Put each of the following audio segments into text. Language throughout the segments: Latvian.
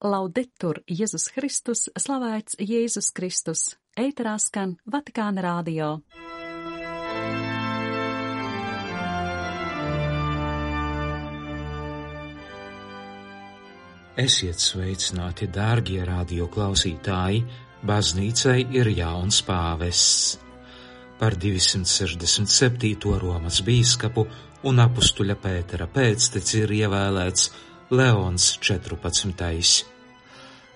Laudetur Jēzus Kristus, slavēts Jēzus Kristus, ēterā skan Vatikāna radio. Esiet sveicināti, dārgie radio klausītāji, baznīcai ir jauns pāvests. Par 267. Romas bīskapu un apustuļa Pētera pēcteci ir ievēlēts Leons 14.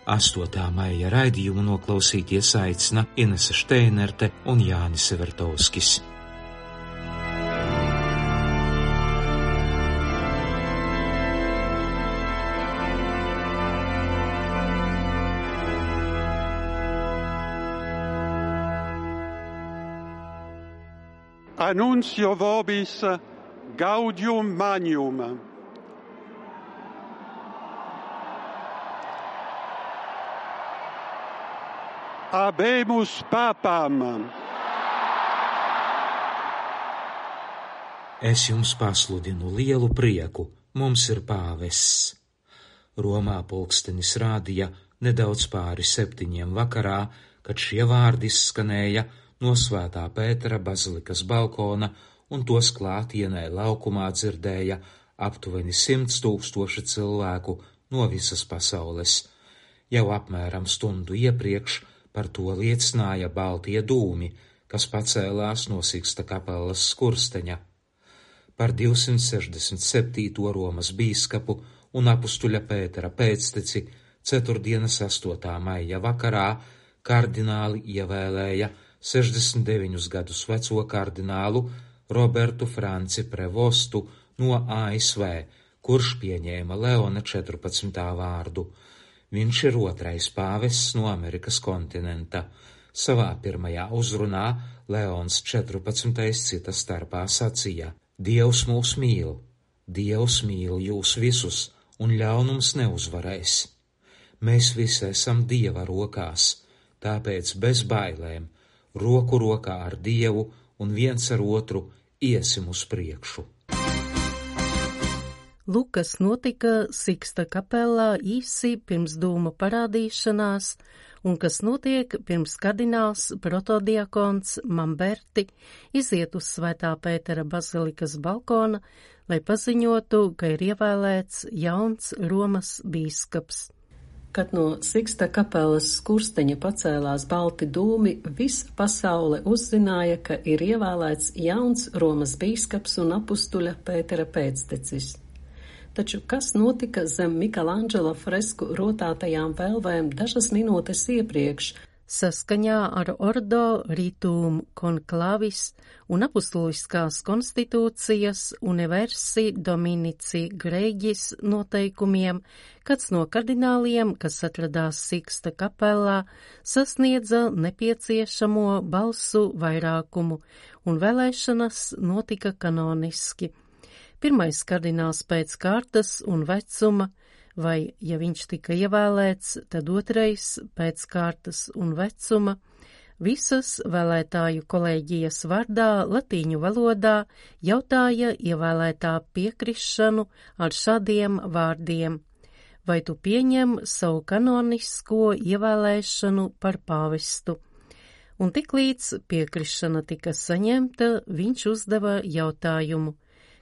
8. maija raidījumu noklausīties aicina Inese Šteinerte un Jānis Evertovskis. Annuncio vobis gaudium magnum. Habemus papam. Es jums pasludinu lielu prieku, mums ir pāvests. Romā pulkstenis rādīja nedaudz pāri 7 vakarā, kad šie vārdi izskanēja no Svētā Pētera bazilikas balkona, un tos klātienē laukumā dzirdēja aptuveni 100 000 cilvēku no visas pasaules. Jau apmēram stundu iepriekš par to liecināja baltie dūmi, kas pacēlās no Siksta kapelas skursteņa. Par 267. Romas bīskapu un apustuļa Pētera pēcteci 4. 8. maija vakarā kardināli ievēlēja 69 gadus veco kardinālu Robertu Franci Prevostu no ASV, kurš pieņēma Leona 14. vārdu. Viņš ir otrais pāvests no Amerikas kontinenta. Savā pirmajā uzrunā Leons 14. cita starpā sacīja: Dievs mūs mīl, Dievs mīl jūs visus, un ļaunums neuzvarēs. Mēs visi esam Dieva rokās, tāpēc bez bailēm, roku rokā ar Dievu un viens ar otru iesim uz priekšu. Lūk, kas notika Siksta kapelā īsi pirms dūmu parādīšanās, un kas notiek pirms kardināls protodiakons Mamberti iziet uz Svētā Pētera bazilikas balkona, lai paziņotu, ka ir ievēlēts jauns Romas bīskaps. Kad no Siksta kapelas skursteņa pacēlās balti dūmi, visa pasaule uzzināja, ka ir ievēlēts jauns Romas bīskaps un apustuļa Pētera pēctecis. Taču kas notika zem Michelangelo fresku rotātajām velvēm dažas minūtes iepriekš? Saskaņā ar Ordo Ritum Conclavis un apustuliskās konstitūcijas Universi Dominici Gregis noteikumiem, kāds no kardināliem, kas atradās Siksta kapelā, sasniedza nepieciešamo balsu vairākumu, un vēlēšanas notika kanoniski. Pirmais kardināls pēc kārtas un vecuma, vai, ja viņš tika ievēlēts, tad otrais pēc kārtas un vecuma, visas vēlētāju kolēģijas vārdā latīņu valodā jautāja ievēlētā piekrišanu ar šādiem vārdiem: vai tu pieņem savu kanonisko ievēlēšanu par pāvestu? Un tiklīdz piekrišana tika saņemta, viņš uzdeva jautājumu: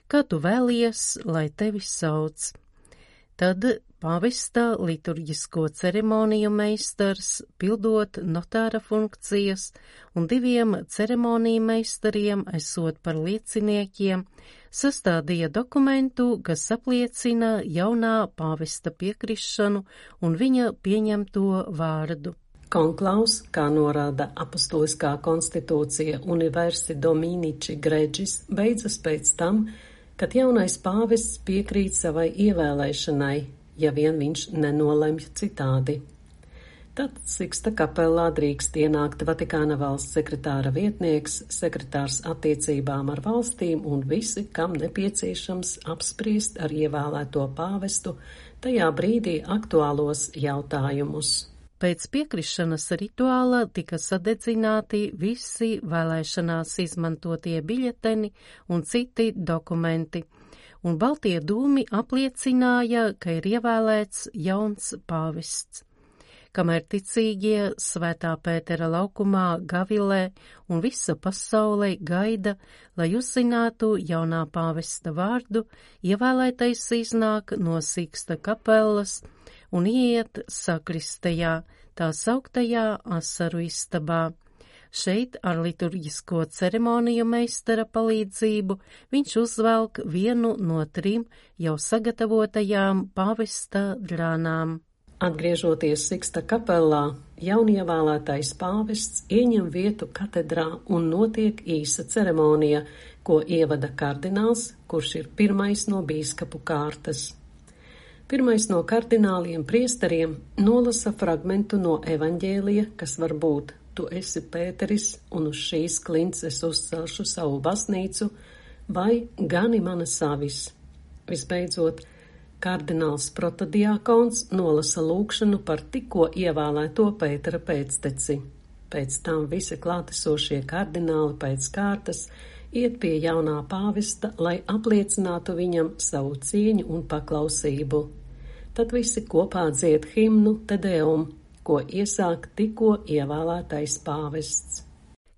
kā tu vēlies, lai tevi sauc? Tad pāvesta liturģisko ceremoniju meistars, pildot notāra funkcijas, un 2 ceremoniju meistariem, esot par lieciniekiem, sastādīja dokumentu, kas apliecina jaunā pāvesta piekrišanu un viņa pieņemto vārdu. Konklaus, kā norāda apustuliskā konstitūcija Universi Dominici Gregis, beidzas pēc tam, kad jaunais pāvests piekrīt savai ievēlēšanai, ja vien viņš nenolemj citādi. Tad Siksta kapelā drīkst ienākt Vatikāna valsts sekretāra vietnieks, sekretārs attiecībām ar valstīm un visi, kam nepieciešams apspriest ar ievēlēto pāvestu tajā brīdī aktuālos jautājumus. Pēc piekrišanas rituāla tika sadedzināti visi vēlēšanās izmantotie biļeteni un citi dokumenti, un baltie dūmi apliecināja, ka ir ievēlēts jauns pāvests. Kamēr ticīgie Svētā Pētera laukumā gavilē un visa pasaulē gaida, lai uzzinātu jaunā pāvesta vārdu, ievēlētais iznāk no Siksta kapelas un iet sakristejā, tā sauktajā asaru istabā. Šeit ar liturģisko ceremoniju meistara palīdzību viņš uzvelk vienu no 3 jau sagatavotajām pāvesta drānām. Atgriežoties Siksta kapelā, jaunievēlētais pāvests ieņem vietu katedrā un notiek īsa ceremonija, ko ievada kardināls, kurš ir pirmais no bīskapu kārtas. Pirmais no kardināliem priesteriem nolasa fragmentu no evaņģēlija, kas var būt: Tu esi Pēteris, un uz šīs klints es uzcelšu savu baznīcu, vai gani manas avis. Visbeidzot, kardināls protodiakons nolasa lūgšanu par tikko ievēlēto Pētera pēcteci. Pēc tam visi klātesošie kardināli pēc kārtas iet pie jaunā pāvesta, lai apliecinātu viņam savu cieņu un paklausību. Tad visi kopā dzied himnu Te Deum, ko iesāk tikko ievēlētais pāvests.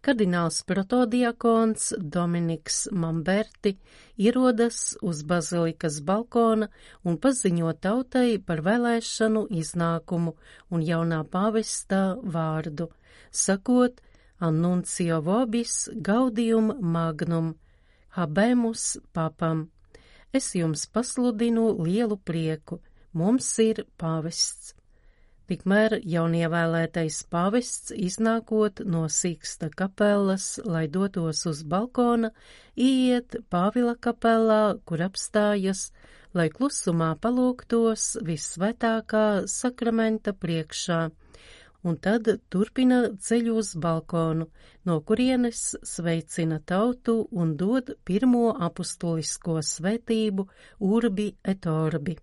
Kardināls protodiakons Dominiks Mamberti ierodas uz bazilikas balkona un paziņo tautai par vēlēšanu iznākumu un jaunā pāvesta vārdu, sakot: Annuncio vobis gaudium magnum, habemus papam. Es jums pasludinu lielu prieku, mums ir pāvests. Tikmēr jaunievēlētais pāvests, iznākot no Siksta kapelas, lai dotos uz balkona, iet Pāvila kapelā, kur apstājas, lai klusumā palūgtos visvētākā sakramenta priekšā, un tad turpina ceļu uz balkonu, no kurienes sveicina tautu un dod pirmo apustulisko svētību Urbi et Orbi.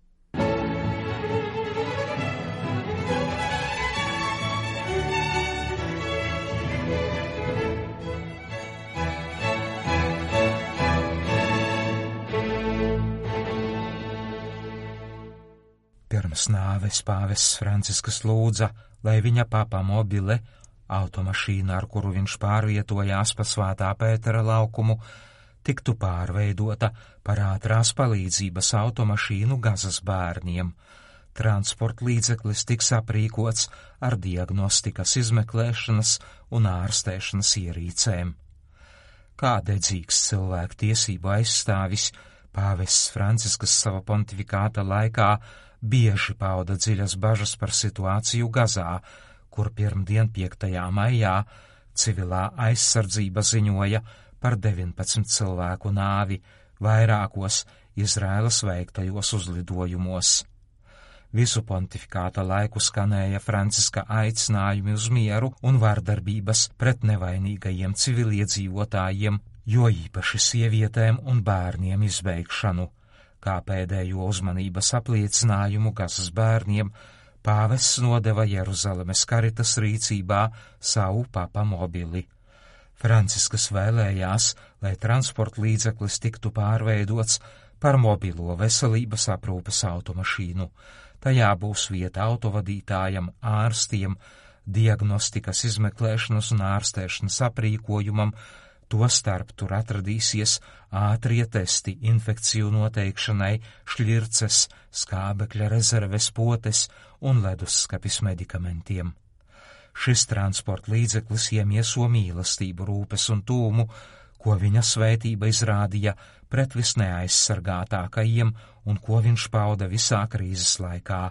Pirms nāves pāvests Francisks lūdza, lai viņa papa mobile, automašīna, ar kuru viņš pārvietojās pa Svētā Pētera laukumu, tiktu pārveidota par ātrās palīdzības automašīnu Gazas bērniem. Transporta līdzeklis tiks aprīkots ar diagnostikas izmeklēšanas un ārstēšanas ierīcēm. Kā dedzīgs cilvēku tiesību aizstāvis, pāvests Francisks sava pontifikāta laikā bieži pauda dziļas bažas par situāciju Gazā, kur pirmdien 5. maijā civilā aizsardzība ziņoja par 19 cilvēku nāvi vairākos Izraēlas veiktajos uzlidojumos. Visu pontifikāta laiku skanēja Franciska aicinājumi uz mieru un vardarbības pret nevainīgajiem civiliedzīvotājiem, jo īpaši sievietēm un bērniem izbeigšanu. Kā pēdējo uzmanības apliecinājumu Gazas bērniem, pāvests nodeva Jeruzalemes Karitas rīcībā savu papa mobili. Francisks vēlējās, lai transporta līdzeklis tiktu pārveidots par mobilo veselības aprūpes automašīnu. Tajā būs vieta autovadītājam, ārstiem, diagnostikas izmeklēšanas un ārstēšanas aprīkojumam, tostarp tur atradīsies ātrie testi infekciju noteikšanai, šļirces, skābekļa rezerves potes un leduskapis medikamentiem. Šis transporta līdzeklis iemieso mīlestību, rūpes un tūmu, ko viņa svētība izrādīja pret visneaizsargātākajiem un ko viņš pauda visā krīzes laikā,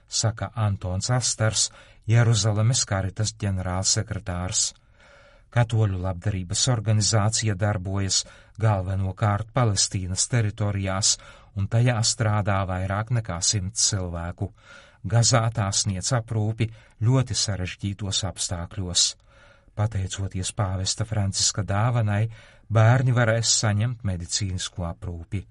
saka Antons Astars, Jeruzalemes Karitas ģenerālsekretārs. Katoļu labdarības organizācija darbojas galvenokārt Palestīnas teritorijās, un tajā strādā vairāk nekā 100 cilvēku. Gazā tā sniedz aprūpi ļoti sarežģītos apstākļos. Pateicoties pāvesta Franciska dāvanai, bērni varēs saņemt medicīnisko aprūpi.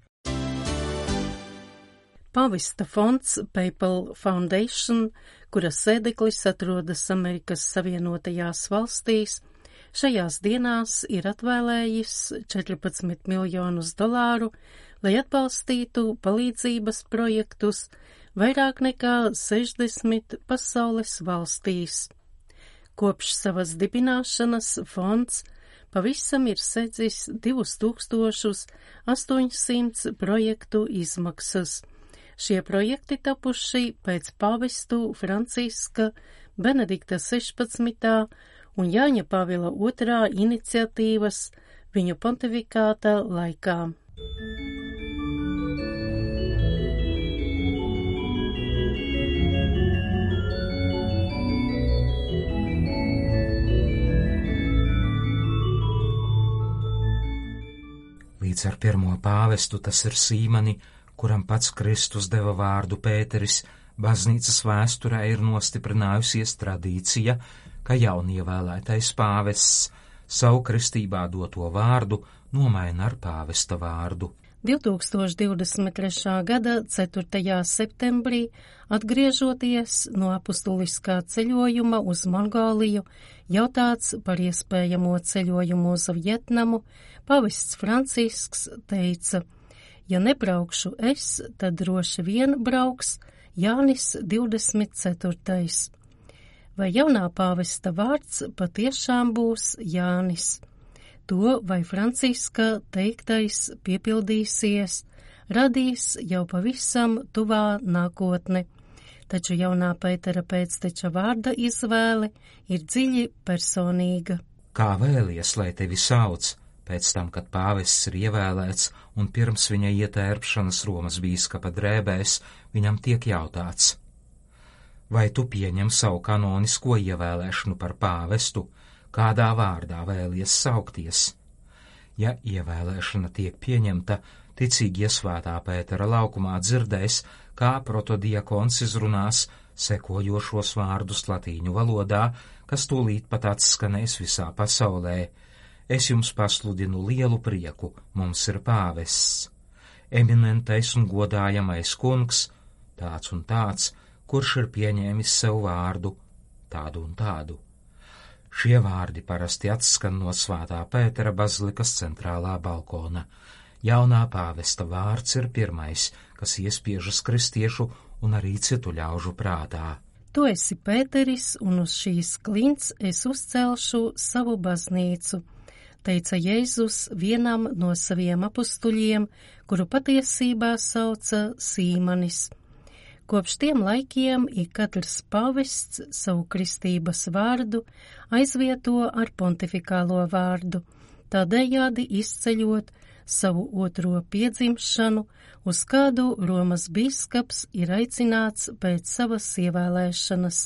Pāvesta fonds Papal Foundation, kuras sēdeklis atrodas Amerikas Savienotajās valstīs, šajās dienās ir atvēlējis $14 miljonus, lai atbalstītu palīdzības projektus vairāk nekā 60 pasaules valstīs. Kopš savas dibināšanas fonds pavisam ir sedzis 2800 projektu izmaksas. Šie projekti tapuši pēc pāvestu Franciska, Benedikta 16. un Jāņa Pāvila II. Iniciatīvas viņu pontifikāta laikā. Līdz ar pirmo pāvestu, tas ir Sīmani, kuram pats Kristus deva vārdu Pēteris, baznīcas vēsturē ir nostiprinājusies tradīcija, ka jaunievēlētais pāvests savu kristībā doto vārdu nomaina ar pāvesta vārdu. 2023. gada 4. septembrī, atgriežoties no apustuliskā ceļojuma uz Mongoliju, jautāts par iespējamo ceļojumu uz Vietnamu, pāvests Francisks teica: ja nebraukšu es, tad droši vien brauks Jānis 24. Vai jaunā pāvesta vārds patiešām būs Jānis? To, vai Franciska teiktais piepildīsies, radīs jau pavisam tuvā nākotne, taču jaunā Pētera pēcteča vārda izvēle ir dziļi personīga. Kā vēlies, lai tevi sauc? Pēc tam, kad pāvests ir ievēlēts un pirms viņa ietērpšanas Romas bīskapa drēbēs, viņam tiek jautāts: vai tu pieņem savu kanonisko ievēlēšanu par pāvestu, kādā vārdā vēlies saukties? Ja ievēlēšana tiek pieņemta, ticīgi iesvētā Pētera laukumā dzirdēs, kā protodiakons izrunās sekojošos vārdus latīņu valodā, kas tūlīt pat atskanēs visā pasaulē. Es jums pasludinu lielu prieku, mums ir pāvests, eminentais un godājamais kungs, tāds un tāds, kurš ir pieņēmis sev vārdu, tādu un tādu. Šie vārdi parasti atskan no Svētā Pētera bazilikas centrālā balkona. Jaunā pāvesta vārds ir pirmais, kas iespiežas kristiešu un arī citu ļaužu prātā. Tu esi Pēteris, un uz šīs klints es uzcelšu savu baznīcu, teica Jēzus vienam no saviem apustuļiem, kuru patiesībā sauca Sīmanis. Kopš tiem laikiem ik katrs pāvests savu kristības vārdu aizvieto ar pontifikālo vārdu, tādējādi izceļot savu otro piedzimšanu, uz kādu Romas bīskaps ir aicināts pēc savas ievēlēšanas.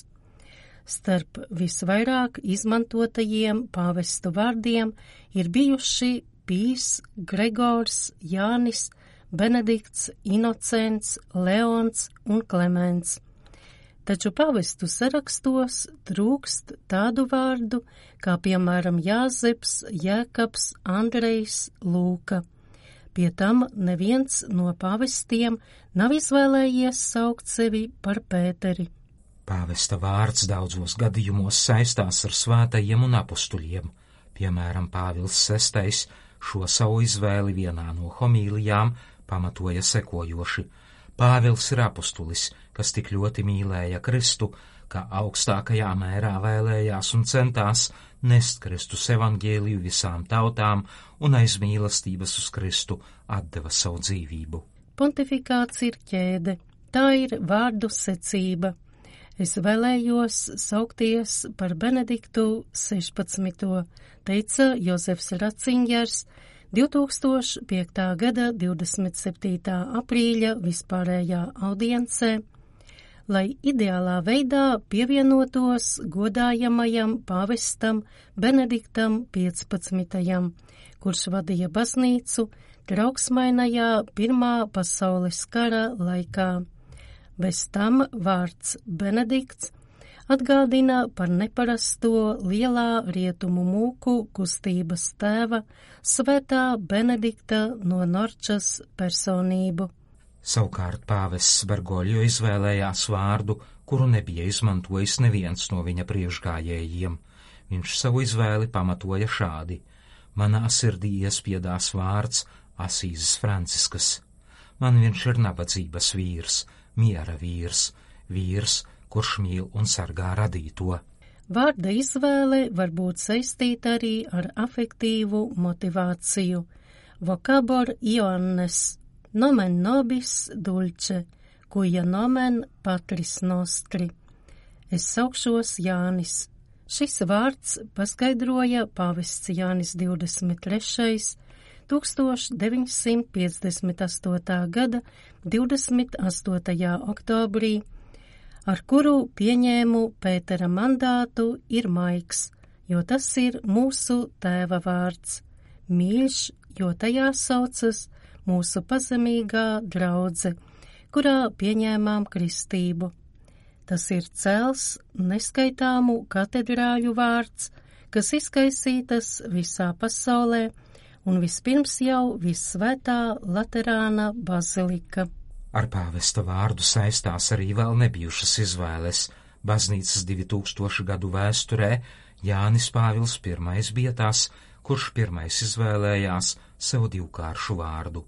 Starp visvairāk izmantotajiem pāvestu vārdiem ir bijuši Pīs, Gregors, Jānis, Benedikts, Inocents, Leons un Klemens. Taču pāvestu sarakstos trūkst tādu vārdu, kā piemēram Jāzeps, Jēkabs, Andrejs, Lūka. Pie tam neviens no pāvestiem nav izvēlējies saukt sevi par Pēteri. Pāvesta vārds daudzos gadījumos saistās ar svētajiem un apustuļiem. Piemēram, Pāvils VI šo savu izvēli vienā no homīlijām pamatoja sekojoši: Pāvils ir apustulis, kas tik ļoti mīlēja Kristu, ka augstākajā mērā vēlējās un centās nest Kristus evaņģēliju visām tautām un aiz mīlestības uz Kristu atdeva savu dzīvību. Pontifikāts ir ķēde, tā ir vārdu secība. Es vēlējos saukties par Benediktu 16. teica Jozefs Ratzingers 2005. gada 27. aprīļa vispārējā audiencē, lai ideālā veidā pievienotos godājamajam pāvestam Benediktam 15., kurš vadīja baznīcu trauksmainajā Pirmā pasaules kara laikā. Bez tam vārds Benedikts atgādina par neparasto lielā rietumu mūku kustības tēva svētā Benedikta no Norčas personību. Savukārt pāvests Bergoļo izvēlējās vārdu, kuru nebija izmantojis neviens no viņa priekšgājējiem. Viņš savu izvēli pamatoja šādi: manā sirdī iespiedās vārds Asīzes Franciskas. Man viņš ir nabadzības vīrs, miera vīrs, vīrs, kurš mīl un sargā radīto. Vārda izvēle var būt saistīta arī ar afektīvu motivāciju. Vocabor Ioannes, nomen nobis dulce, cuia nomen patris nostri. Es saukšos Jānis. Šis vārds paskaidroja pāvests Jānis 23. 1958. gada 28. oktobrī, ar kuru pieņēmu Pētera mandātu, ir maigs, jo tas ir mūsu tēva vārds, mīļš, jo tajā saucas mūsu pazemīgā draudze, kurā pieņēmām kristību. Tas ir cels neskaitāmu katedrāļu vārds, kas izkaisītas visā pasaulē, un vispirms jau Vissvētā Laterāna bazilika. Ar pāvesta vārdu saistās arī vēl nebijušas izvēles. Baznīcas 2000 gadu vēsturē Jānis Pāvils I bija tas, kurš pirmais izvēlējās sev divkāršu vārdu.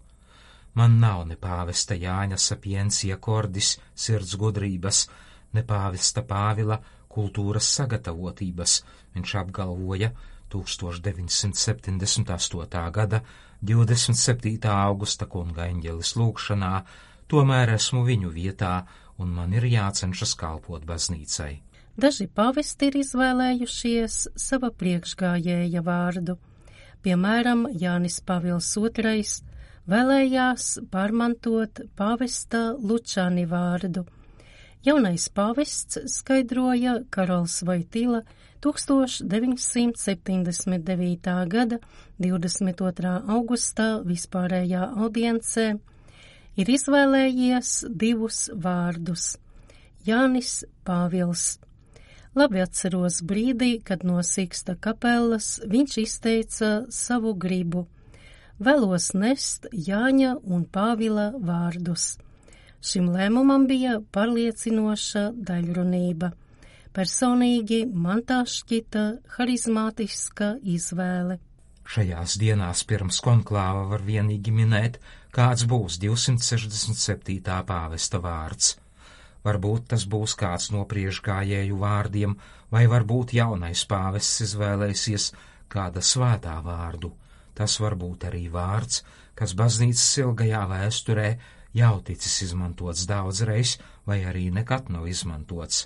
Man nav ne pāvesta Jāņa Sapientia Cordis sirds gudrības, ne pāvesta Pāvila kultūras sagatavotības, viņš apgalvoja 1978. gada 27. augusta kunga eņģelis lūgšanā, tomēr esmu viņu vietā un man ir jācenšas kalpot baznīcai. Daži pāvesti ir izvēlējušies sava priekšgājēja vārdu. Piemēram, Jānis Pāvils II vēlējās pārmantot pāvesta Lučani vārdu. Jaunais pāvests skaidroja Karols Voitila 1979. gada 22. augustā vispārējā audiencē, ir izvēlējies divus vārdus – Jānis Pāvils. Labi atceros brīdī, kad no Siksta kapellas viņš izteica savu gribu. Vēlos nest Jāņa un Pāvila vārdus. Šim lēmumam bija pārliecinoša daļrunība. Personīgi man tā šķita harizmātiska izvēle. Šajās dienās pirms konklāva var vienīgi minēt, kāds būs 267. pāvesta vārds. Varbūt tas būs kāds no priekšgājēju vārdiem, vai varbūt jaunais pāvests izvēlēsies kāda svētā vārdu. Tas var būt arī vārds, kas baznīcas ilgajā vēsturē jau ticis izmantots daudzreiz, vai arī nekad nav izmantots.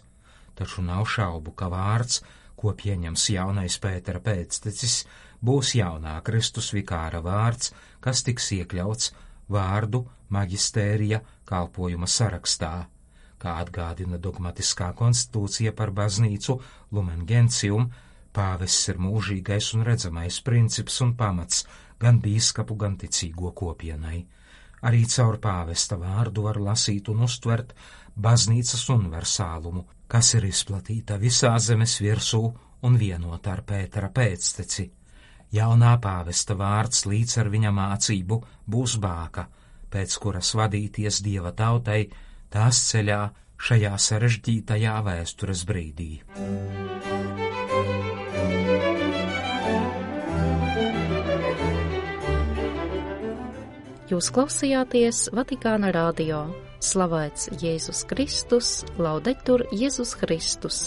Taču nav šaubu, ka vārds, ko pieņems jaunais Pētera pēctecis, būs jaunā Kristus vikāra vārds, kas tiks iekļauts vārdu maģistērija kalpojuma sarakstā. Kā atgādina dogmatiskā konstitūcija par baznīcu Lumen Gentium, pāvests ir mūžīgais un redzamais princips un pamats gan bīskapu, gan ticīgo kopienai. Arī caur pāvesta vārdu var lasīt un uztvert baznīcas universālumu, kas ir izplatīta visā zemes virsū un vienota ar Pētera pēcteci. Jaunā pāvesta vārds līdz ar viņa mācību būs bāka, pēc kuras vadīties Dieva tautai tās ceļā šajā sarežģītajā vēstures brīdī. Jūs klausījāties Vatikāna radio. Slavēts Jēzus Kristus, laudetur Jēzus Kristus.